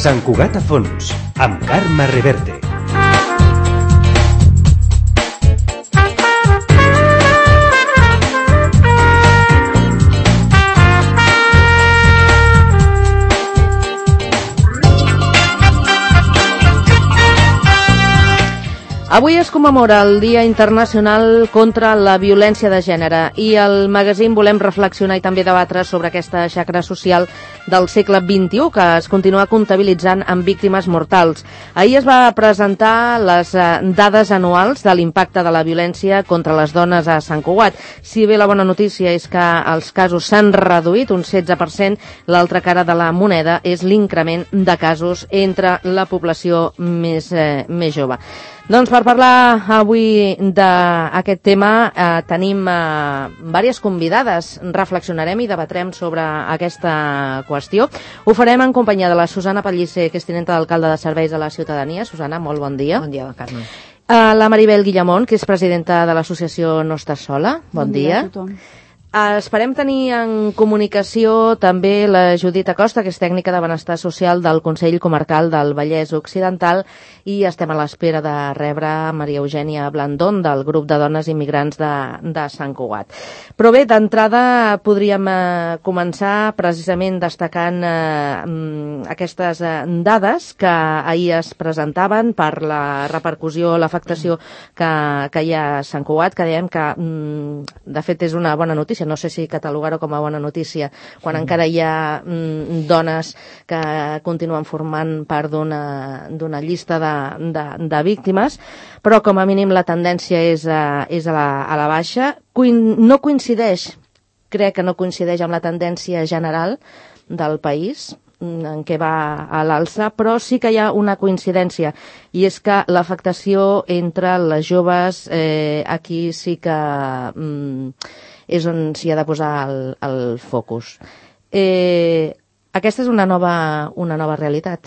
Sant Cugat a fons, amb Carme Reverte. Avui es commemora el Dia Internacional contra la Violència de Gènere i al magazín volem reflexionar i també debatre sobre aquesta xacra social del segle XXI que es continua comptabilitzant amb víctimes mortals. Ahir es va presentar les dades anuals de l'impacte de la violència contra les dones a Sant Cugat. Si bé la bona notícia és que els casos s'han reduït un 16%, l'altra cara de la moneda és l'increment de casos entre la població més jove. Doncs per parlar avui d'aquest tema tenim diverses convidades. Reflexionarem i debatrem sobre aquesta qüestió. Ho farem en companyia de la Susana Pellicer, que és tinenta d'alcalde de Serveis a la Ciutadania. Susana, molt bon dia. Bon dia, Carme. La Maribel Guillamont, que és presidenta de l'associació No Estàs Sola. Bon dia a tothom. Esperem tenir en comunicació també la Judit Acosta, que és tècnica de benestar social del Consell Comarcal del Vallès Occidental, i estem a l'espera de rebre Maria Eugènia Blandón, del grup de dones immigrants de Sant Cugat. Però bé, d'entrada podríem començar precisament destacant aquestes dades que ahir es presentaven per la repercussió, l'afectació que hi ha a Sant Cugat, que dèiem que de fet és una bona notícia. No sé si catalogar-ho com a bona notícia quan encara hi ha dones que continuen formant part d'una llista de víctimes, però com a mínim la tendència és a la baixa. No coincideix, crec que no coincideix amb la tendència general del país, en què va a l'alça, però sí que hi ha una coincidència, i és que l'afectació entre les joves aquí sí que és on s'hi ha de posar el focus. Aquesta és una nova realitat.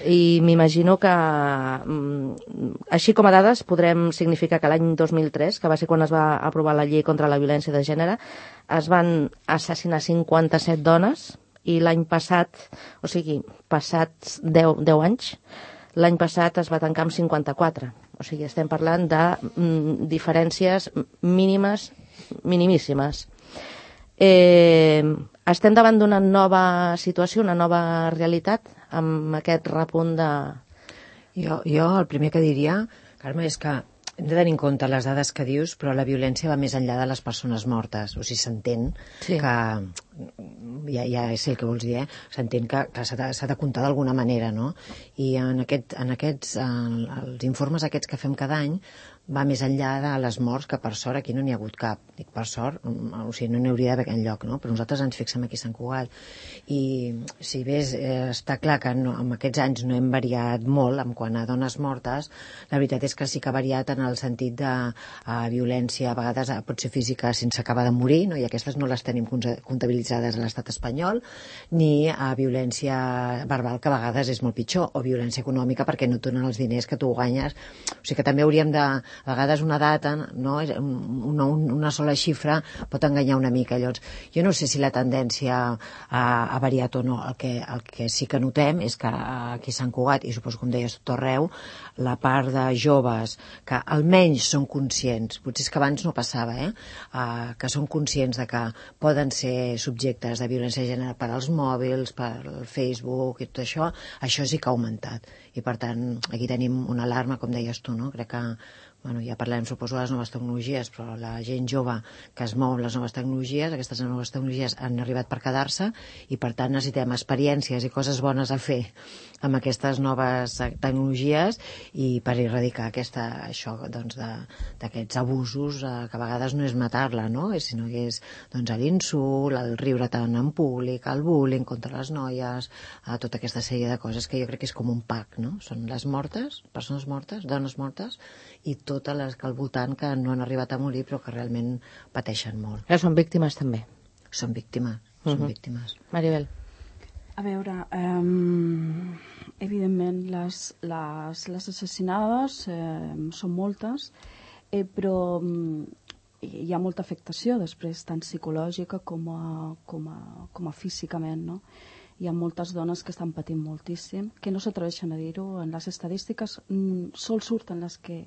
I m'imagino que, així com a dades, podrem significar que l'any 2003, que va ser quan es va aprovar la llei contra la violència de gènere, es van assassinar 57 dones, i l'any passat, o sigui, passats 10 anys, l'any passat es va tancar amb 54. O sigui, estem parlant de diferències mínimes, minimíssimes. Estem davant d'una nova situació, una nova realitat, amb aquest repunt de... Jo el primer que diria, Carme, és que hem de tenir en compte les dades que dius, però la violència va més enllà de les persones mortes. O sigui, s'entén que... Ja sé el que vols dir, s'entén que s'ha de comptar d'alguna manera, no? I els informes aquests que fem cada any va més enllà de les morts, que per sort aquí no n'hi ha hagut cap. Dic per sort, o sigui, no n'hi hauria d'haver enlloc, no? Però nosaltres ens fixem aquí a Sant Cugat. I si bé està clar que en aquests anys no hem variat molt en quant a dones mortes, la veritat és que sí que ha variat en el sentit de violència, a vegades pot ser física sense acabar de morir, no? I aquestes no les tenim comptabilitzades a l'estat espanyol, ni a violència verbal, que a vegades és molt pitjor, o violència econòmica perquè no et donen els diners que tu guanyes. O sigui que també hauríem de... A vegades una data, no? Una sola xifra pot enganyar una mica. Llavors, jo no sé si la tendència ha variat o no. El que sí que notem és que aquí a Sant Cugat, i suposo com deies tot arreu, la part de joves que almenys són conscients, potser és que abans no passava, que són conscients de que poden ser subjectes de violència de gènere per als mòbils, per el Facebook i tot això sí que ha augmentat. I per tant, aquí tenim una alarma, com deies tu, no? Crec que ja parlem, suposo, de les noves tecnologies, però la gent jove que es mou amb les noves tecnologies, aquestes noves tecnologies han arribat per quedar-se i, per tant, necessitem experiències i coses bones a fer amb aquestes noves tecnologies i per erradicar això d'aquests abusos que a vegades no és matar-la, no? Sinó que és l'insult, el riure tant en públic, el bullying contra les noies, tota aquesta sèrie de coses que jo crec que és com un pack, no? Són les mortes, persones mortes, dones mortes, i totes les que al voltant que no han arribat a morir però que realment pateixen molt. Són víctimes també. Són víctimes, són víctimes. Maribel. A veure, evidentment les assassinades són moltes, però hi ha molta afectació després, tant psicològica com a físicament, no? hi ha moltes dones que estan patint moltíssim, que no s'atreveixen a dir-ho. En les estadístiques sol surten les que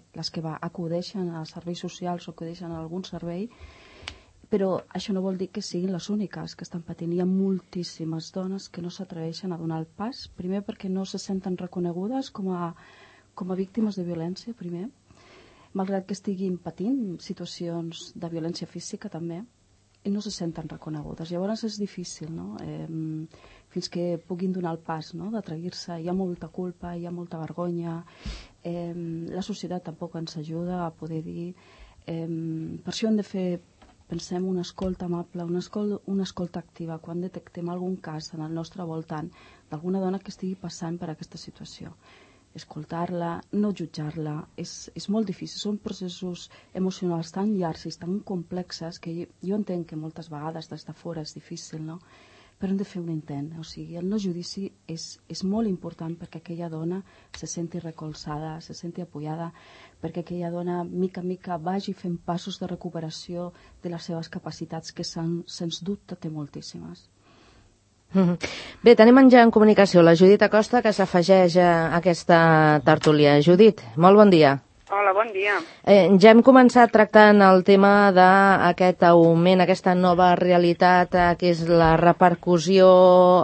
acudeixen als serveis socials o acudeixen a algun servei, però això no vol dir que siguin les úniques que estan patint. Hi ha moltíssimes dones que no s'atreveixen a donar el pas, primer perquè no se senten reconegudes com a víctimes de violència, primer, malgrat que estiguin patint situacions de violència física també, i no se senten reconegudes. Llavors és difícil, no? Fins que puguin donar el pas, no? D'atrevir-se. Hi ha molta culpa, hi ha molta vergonya, la societat tampoc ens ajuda a poder dir. Per això hem de fer, pensem, una escolta amable, una escolta activa quan detectem algun cas en el nostre voltant d'alguna dona que estigui passant per aquesta situació. Escoltar-la, no jutjar-la, és molt difícil. Són processos emocionals tan llargs i tan complexes que jo entenc que moltes vegades des de fora és difícil, no? Però hem de fer un intent. O sigui, el no judici és molt important perquè aquella dona se senti recolzada, se senti apoyada, perquè aquella dona, mica en mica, vagi fent passos de recuperació de les seves capacitats, que sens dubte té moltíssimes. Bé, tenim ja en comunicació la Judit Acosta, que s'afegeix a aquesta tertúlia. Judit, molt bon dia. Hola, bon dia. Ja hem començat tractant el tema d'aquest augment, aquesta nova realitat, que és la repercussió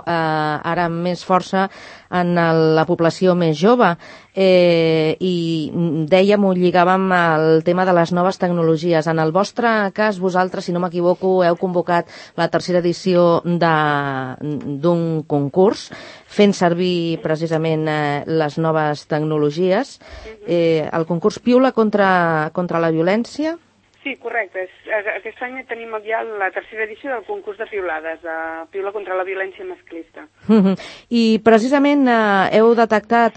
ara amb més força en la població més jove. I dèiem, ho lligàvem al tema de les noves tecnologies. En el vostre cas, vosaltres, si no m'equivoco, heu convocat la tercera edició d'un concurs fent servir precisament les noves tecnologies. El concurs Piula contra la violència? Sí, correcte. Aquest any tenim ja la tercera edició del concurs de piulades, de Piula contra la violència masclista. I precisament heu detectat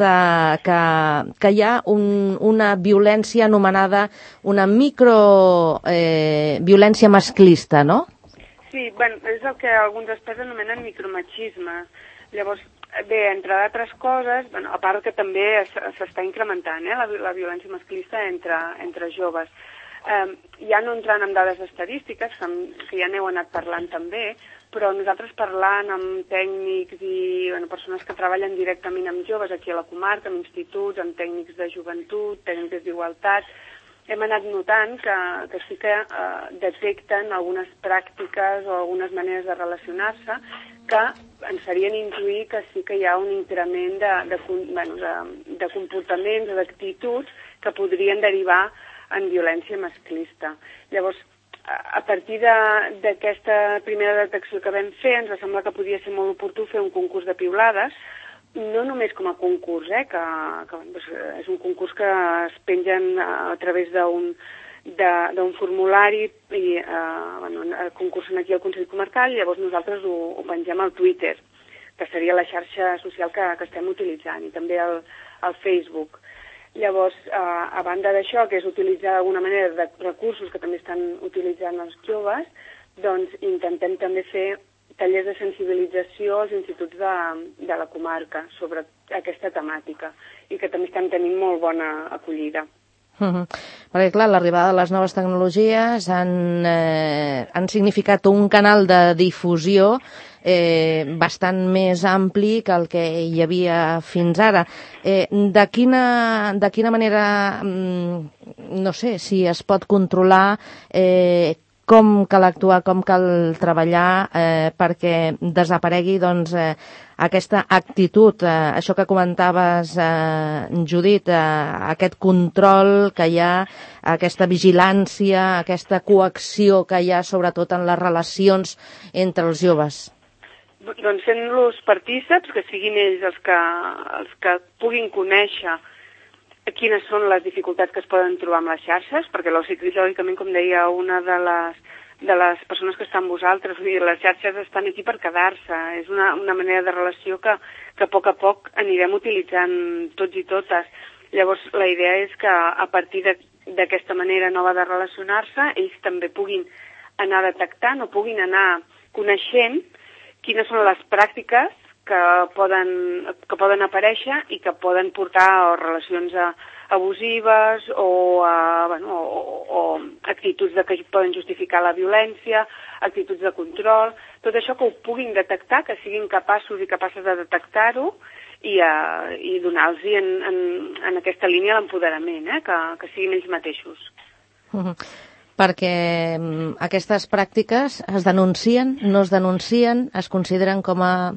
que hi ha una violència anomenada una microviolència masclista, no? Sí, bueno, és el que alguns experts anomenen micromachisme. Llavors, bé, entre d'altres coses, bueno, a part que també s'està incrementant la violència masclista entre joves. Ja no entrant en dades estadístiques, que ja n'heu anat parlant també, però nosaltres parlant amb tècnics i persones que treballen directament amb joves aquí a la comarca, amb instituts, amb tècnics de joventut, tècnics d'igualtat, hem anat notant que sí que detecten algunes pràctiques o algunes maneres de relacionar-se que ens farien intuir que sí que hi ha un increment de comportaments o d'actituds que podrien derivar en violència masclista. Llavors, a partir d'aquesta primera detecció que vam fer, ens va semblar que podia ser molt oportú fer un concurs de piulades, no només com a concurs, que és un concurs que es pengen a través d'un formulari i concursen aquí al Consell Comarcal, i llavors nosaltres ho pengem al Twitter, que seria la xarxa social que estem utilitzant, i també al Facebook. Llavors, a banda d'això, que és utilitzar d'alguna manera de recursos que també estan utilitzant els joves, doncs intentem també fer tallers de sensibilització als instituts de la comarca sobre aquesta temàtica i que també estan tenint molt bona acollida. Perquè, clar, l'arribada de les noves tecnologies han significat un canal de difusió bastant més ampli que el que hi havia fins ara. De quina manera, no sé, si es pot controlar com cal actuar, com cal treballar perquè desaparegui aquesta actitud, això que comentaves, Judit, aquest control que hi ha, aquesta vigilància, aquesta coacció que hi ha sobretot en les relacions entre els joves. Doncs fent-los partíceps, que siguin ells els que puguin conèixer quines són les dificultats que es poden trobar amb les xarxes, perquè lògicament, com deia una de les persones que estan amb vosaltres, les xarxes estan aquí per quedar-se, és una manera de relació que a poc anirem utilitzant tots i totes. Llavors, la idea és que a partir d'aquesta manera nova de relacionar-se, ells també puguin anar detectant o puguin anar coneixent quines són les pràctiques que poden aparèixer i que poden portar relacions abusives o actituds que poden justificar la violència, actituds de control, tot això que ho puguin detectar, que siguin capaços i capaces de detectar-ho i donar-los en aquesta línia l'empoderament, que siguin ells mateixos. Perquè aquestes pràctiques es denuncien, no es denuncien, es consideren com a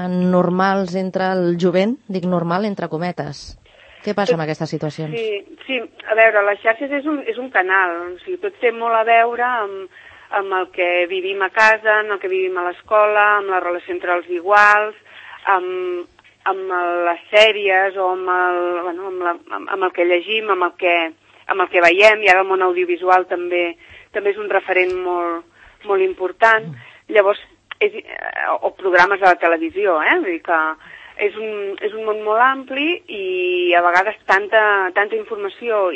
normals entre el jovent, dic normal entre cometes. Què passa amb aquestes situacions? Sí, a veure, les xarxes és un canal, o sigui, tot té molt a veure amb el que vivim a casa, amb el que vivim a l'escola, amb la relació entre els iguals, amb les sèries o amb el que llegim, amb el que veiem, i ara el món audiovisual també és un referent molt important. Llavors, o programes de la televisió, vull dir que és un món molt ampli i a vegades tanta informació,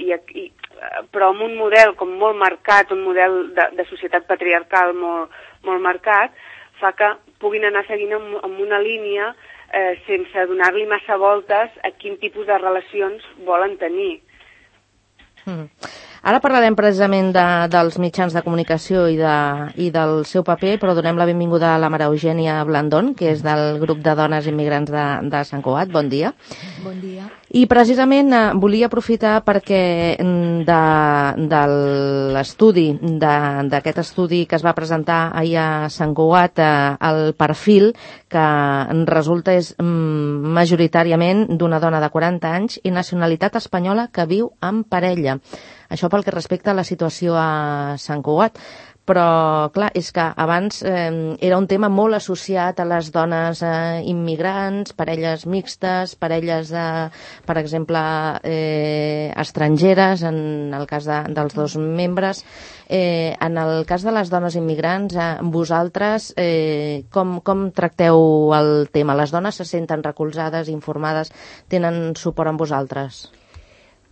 però amb un model com molt marcat, un model de societat patriarcal molt marcat, fa que puguin anar seguint amb una línia sense donar-li massa voltes a quin tipus de relacions volen tenir. Ara parlarem precisament dels mitjans de comunicació i del seu paper, però donem la benvinguda a la Maria Eugènia Blandón, que és del grup de dones immigrants de Sant Cugat. Bon dia. Bon dia. I precisament volia aprofitar perquè de l'estudi, d'aquest estudi que es va presentar ahir a Sant Cugat, el perfil que resulta és majoritàriament d'una dona de 40 anys i nacionalitat espanyola que viu en parella. Això pel que respecta a la situació a Sant Cugat. Però, clar, és que abans era un tema molt associat a les dones immigrants, parelles mixtes, parelles, per exemple, estrangeres, en el cas dels dos membres. En el cas de les dones immigrants, vosaltres com tracteu el tema? Les dones se senten recolzades, informades, tenen suport amb vosaltres?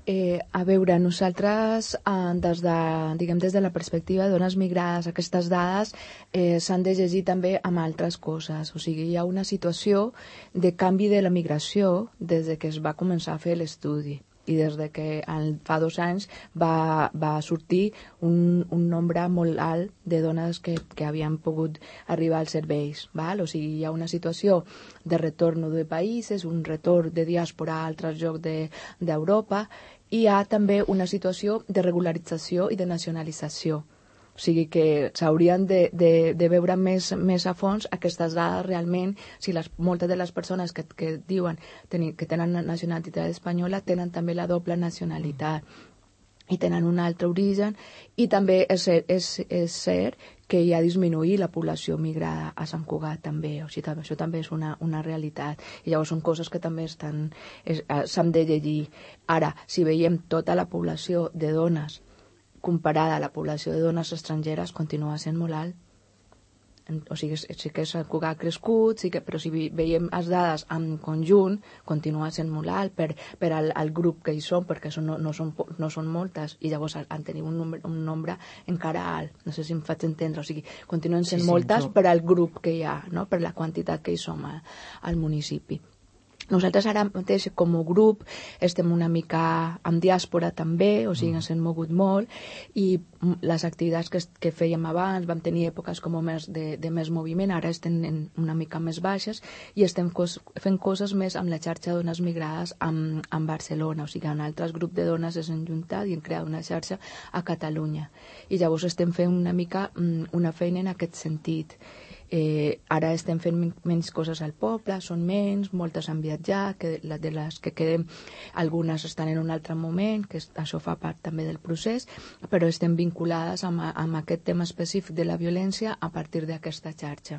A veure, nosaltres, des de la perspectiva de dones migrades, aquestes dades s'han de llegir també amb altres coses. O sigui, hi ha una situació de canvi de la migració des que es va començar a fer l'estudi i des que fa 2 anys va sortir un nombre molt alt de dones que havien pogut arribar als serveis. Val? O sigui, hi ha una situació de retorn de països, un retorn de diàspora a altres llocs d'Europa, i hi ha també una situació de regularització i de nacionalització. O sigui que s'haurien de veure més a fons aquestes dades realment, si moltes de les persones que diuen que tenen nacionalitat espanyola tenen també la doble nacionalitat i tenen un altre origen, i també és cert que hi ha disminuït la població migrada a Sant Cugat també, o sigui, això també és una realitat, i llavors són coses que també s'han de llegir. Ara, si veiem tota la població de dones comparada a la població de dones estrangeres, continua sent molt alt. O sigui, sí que Sant Cugat ha crescut, però si veiem les dades en conjunt, continua sent molt alt per al grup que hi són, perquè no són moltes, i llavors han tenit un nombre encara alt. No sé si em faig entendre. O sigui, continuen sent moltes per al grup que hi ha, no? Per la quantitat que hi som al municipi. Nosaltres ara mateix com a grup estem una mica en diàspora també, o sigui, ens hem mogut molt, i les activitats que fèiem abans, vam tenir èpoques com de més moviment, ara estem una mica més baixes i estem fent coses més amb la xarxa de dones migrades en Barcelona, o sigui, en altres grups de dones s'han juntat i han creat una xarxa a Catalunya. I llavors estem fent una mica una feina en aquest sentit. Ara estem fent menys coses al poble, són menys, moltes han viatjat, de les que quedem algunes estan en un altre moment, que això fa part també del procés, però estem vinculades amb aquest tema específic de la violència a partir d'aquesta xarxa.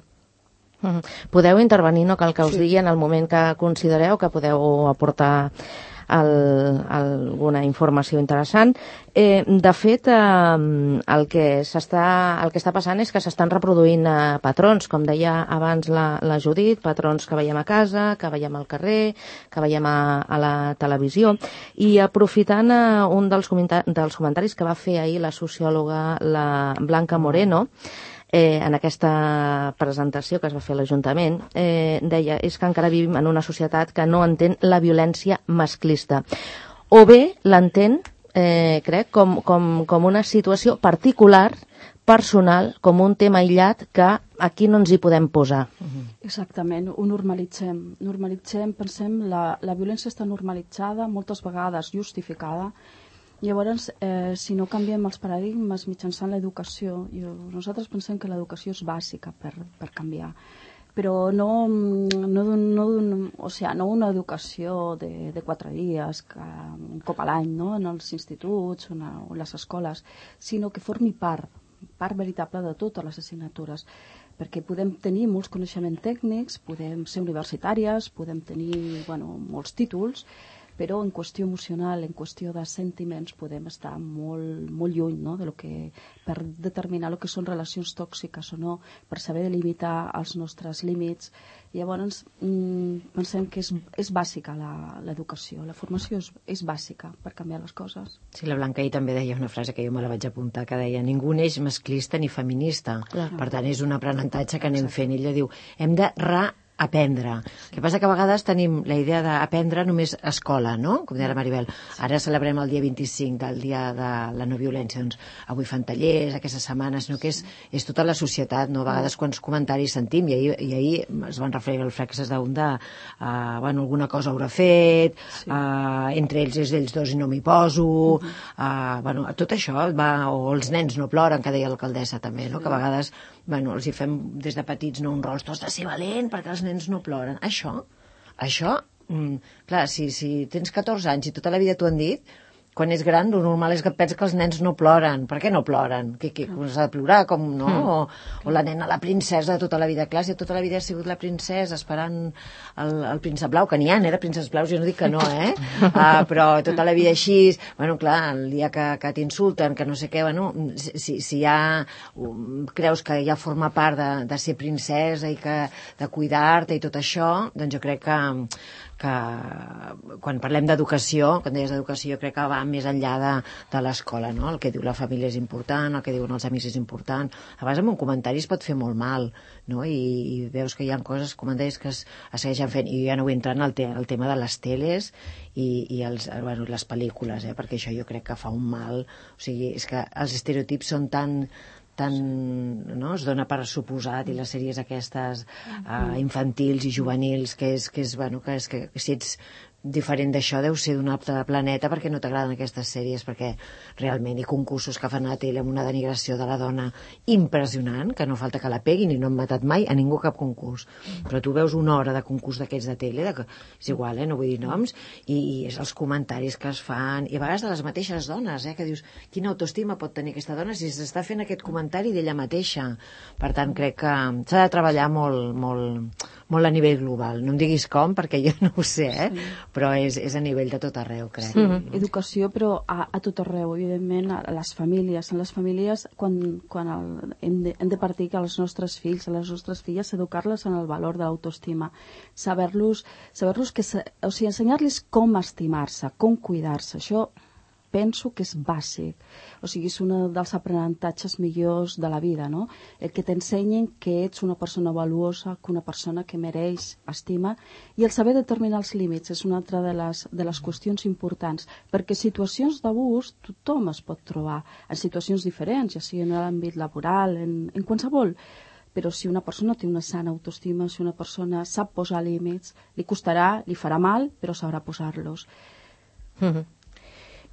Podeu intervenir, no cal que us digui en el moment que considereu que podeu aportar alguna informació interessant. De fet, el que està passant és que s'estan reproduint patrons, com deia abans la Judit, patrons que veiem a casa, que veiem al carrer, que veiem a la televisió. I aprofitant un dels comentaris que va fer ahir la sociòloga la Blanca Moreno, en aquesta presentació que es va fer a l'Ajuntament, deia, és que encara vivim en una societat que no entén la violència masclista. o bé l'entén, crec, com una situació particular, personal, com un tema aïllat que aquí no ens hi podem posar. Exactament, ho normalitzem. Pensem, la violència està normalitzada, moltes vegades justificada. Llavors, si no canviem els paradigmes mitjançant l'educació, nosaltres pensem que l'educació és bàsica per canviar, però no una educació de 4 dies, un cop a l'any, no? En els instituts o en les escoles, sinó que formi part veritable de totes les assignatures, perquè podem tenir molts coneixements tècnics, podem ser universitàries, podem tenir molts títols, però en qüestió emocional, en qüestió de sentiments, podem estar molt, molt lluny, no? Per determinar el que són relacions tòxiques o no, per saber delimitar els nostres límits. Llavors, pensem que és bàsica l'educació, la formació és bàsica per canviar les coses. Sí, la Blanca ahir també deia una frase que jo me la vaig apuntar, que deia: ningú neix masclista ni feminista. Clar. Per tant, és un aprenentatge que anem fent. Ella diu, hem de aprendre. El que passa que a vegades tenim la idea d'aprendre només a escola, no? Com deia la Maribel. Ara celebrem el dia 25 del dia de la no violència. Doncs avui fan tallers, aquesta setmana, sinó que és tota la societat, no? A vegades quants comentaris sentim, i ahir es van referir al Frexes d'un alguna cosa haurà fet, entre ells és ells dos i no m'hi poso, tot això, o els nens no ploren, que deia l'alcaldessa també, no? Que a vegades els hi fem des de petits un rol, tu has de ser valent perquè els nens no ploren. Això, clar, si tens 14 anys i tota la vida t'ho han dit, quan és gran, el normal és que pensa que els nens no ploren. Per què no ploren? Que s'ha de plorar, com no? O la nena, la princesa de tota la vida. Clar, si tota la vida ha sigut la princesa esperant el príncep blau, que n'hi ha, de prínceps blaus, jo no dic que no, però tota la vida així, clar, el dia que t'insulten, que no sé què, si ja creus que ja forma part de ser princesa i de cuidar-te i tot això, doncs jo crec que quan parlem d'educació, quan deies d'educació, jo crec que va més enllà de l'escola, no? El que diu la família és important, el que diuen els amics és important. A vegades amb un comentari es pot fer molt mal, no? I veus que hi ha coses, comentaris que es segueixen fent, i ja no vull entrar en el tema de les teles i les pel·lícules, perquè això jo crec que fa un mal. O sigui, és que els estereotips són tan no? Es dona per suposat, i les sèries aquestes infantils i juvenils, que si ets diferent d'això deu ser d'un altre planeta perquè no t'agraden aquestes sèries, perquè realment hi ha concursos que fan a la tele amb una denigració de la dona impressionant, que no falta que la peguin, i no han matat mai a ningú cap concurs, però tu veus una hora de concurs d'aquests de tele, és igual, no vull dir noms, i és els comentaris que es fan, i a vegades de les mateixes dones, que dius, quina autoestima pot tenir aquesta dona si s'està fent aquest comentari d'ella mateixa. Per tant, crec que s'ha de treballar molt a nivell global. No em diguis com, perquè jo no ho sé, però és a nivell de tot arreu, crec. Sí, educació, però a tot arreu, evidentment, a les famílies. En les famílies, quan hem de partir que els nostres fills, a les nostres filles, educar-les en el valor de l'autoestima, saber-los ensenyar-los com estimar-se, com cuidar-se. Això penso que és bàsic, o sigui, és un dels aprenentatges millors de la vida, no? El que t'ensenyin que ets una persona valuosa, que una persona que mereix estima, i el saber determinar els límits és una altra de les qüestions importants, perquè situacions d'abús tothom es pot trobar, en situacions diferents, ja sigui en l'àmbit laboral, en qualsevol, però si una persona té una sana autoestima, si una persona sap posar límits, li costarà, li farà mal, però sabrà posar-los.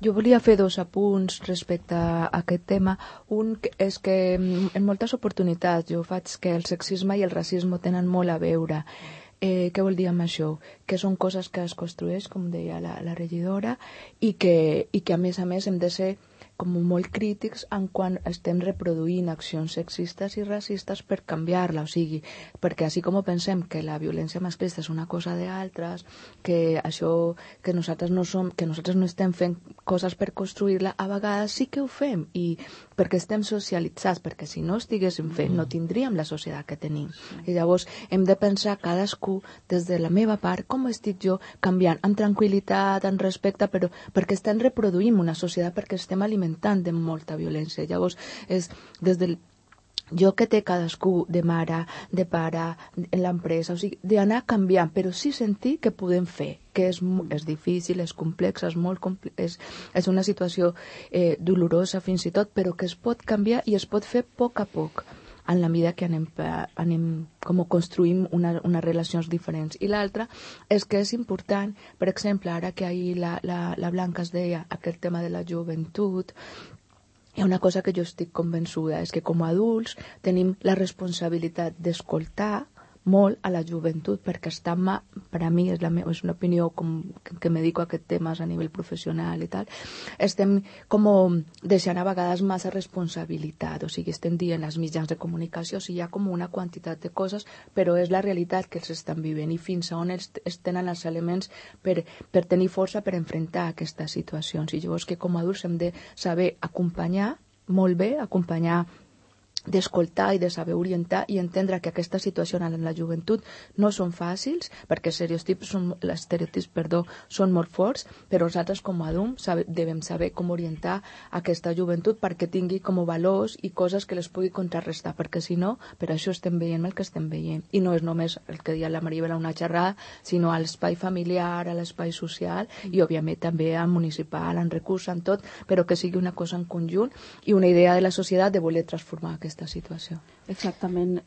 Jo volia fer 2 apunts respecte a aquest tema. Un és que en moltes oportunitats jo faig que el sexisme i el racisme tenen molt a veure. Què vol dir amb això? Que són coses que es construeix, com deia la regidora, i que a més hem de ser com molt crítics en quan estem reproduint accions sexistes i racistes per canviar-la, o sigui, perquè així com pensem que la violència masclista és una cosa d'altres, que això, que nosaltres no estem fent coses per construir-la, a vegades sí que ho fem, i perquè estem socialitzats, perquè si no estiguéssim fent no tindríem la societat que tenim. I llavors hem de pensar cadascú des de la meva part, com estic jo canviant, amb tranquil·litat, amb respecte, però perquè estem reproduint una societat, perquè estem alimentant de molta violència. Llavors, és des del jo que té cadascú de mare, de pare, en l'empresa, o sigui, d'anar canviant, però sí sentir que podem fer, que és difícil, és complex, és una situació dolorosa fins i tot, però que es pot canviar i es pot fer a poc en la mida que anem com construïm unes relacions diferents. I l'altra és que és important, per exemple, ara que ahir la Blanca es deia aquest tema de la joventut, hi ha una cosa que jo estic convençuda, és que com a adults tenim la responsabilitat d'escoltar molt a la joventut, perquè per a mi és una opinió que me dedico a aquest temes a nivell professional i tal, estem com deixant a vegades massa responsabilitat, o sigui, estem dient als mitjans de comunicació, o sigui, hi ha com una quantitat de coses, però és la realitat que els estan vivint i fins a on es tenen els elements per tenir força per enfrontar aquestes situacions. I llavors que com a adults hem de saber acompanyar molt bé, acompanyar d'escoltar i de saber orientar i entendre que aquesta situació en la joventut no són fàcils, perquè els estereotips són molt forts, però nosaltres com a adults devem saber com orientar aquesta joventut perquè tingui com valors i coses que les pugui contrarrestar, perquè si no, per això estem veient el que estem veient. I no és només el que deia la Maribel a una xerrada, sinó a l'espai familiar, a l'espai social i, òbviament, també a municipal, en recursos, en tot, però que sigui una cosa en conjunt i una idea de la societat de voler transformar aquesta situació. Exactament.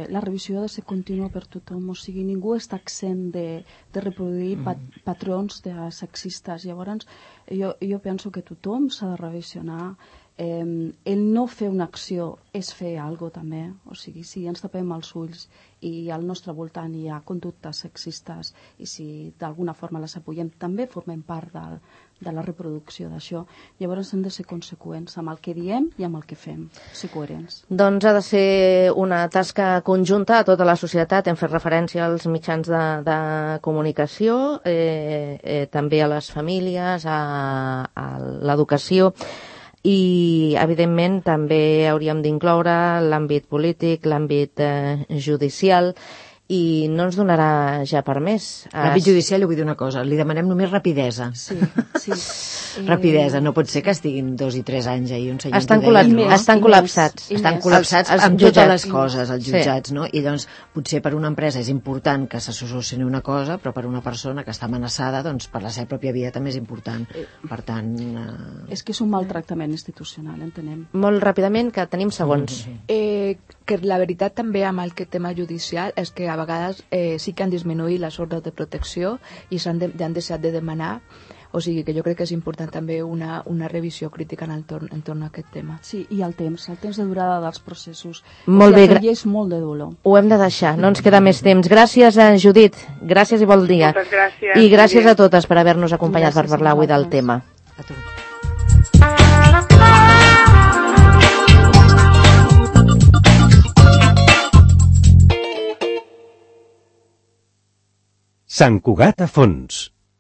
La revisió ha de ser contínua per tothom, o sigui, ningú està exempt de reproduir patrons sexistes. Llavors, jo penso que tothom s'ha de revisionar. El no fer una acció és fer alguna cosa també, o sigui, si ens tapem els ulls i al nostre voltant hi ha conductes sexistes i si d'alguna forma les apoyem, també formem part de la reproducció d'això. Llavors hem de ser conseqüents amb el que diem i amb el que fem, ser coherents. Doncs ha de ser una tasca conjunta a tota la societat. Hem fet referència als mitjans de comunicació, també a les famílies, a l'educació, i evidentment també hauríem d'incloure l'àmbit polític, l'àmbit judicial, i no ens donarà ja per més. L'àmbit judicial, jo vull dir una cosa, li demanem només rapidesa. Sí. Rapidesa, no pot ser que estiguin 2 i 3 anys ahir un senyor... Estan col·lapsats. Estan col·lapsats amb totes les coses, els jutjats, no? I doncs potser per una empresa és important que se solucioni una cosa, però per una persona que està amenaçada, doncs per la seva pròpia vida també és important. Per tant... És que és un maltractament institucional, entenem. Molt ràpidament, que tenim segons. Que la veritat també amb el tema judicial és que a vegades sí que han disminuït les ordres de protecció i han deixat de demanar, o sigui que jo crec que és important també una revisió crítica entorn a aquest tema. Sí, i el temps de durada dels processos. Molt bé. És molt de dolor. Ho hem de deixar, no ens queda més temps. Gràcies, Judit, gràcies i bon dia. Moltes gràcies. I gràcies a totes per haver-nos acompanyat per parlar avui del tema. A tu. Sant Cugat a fons.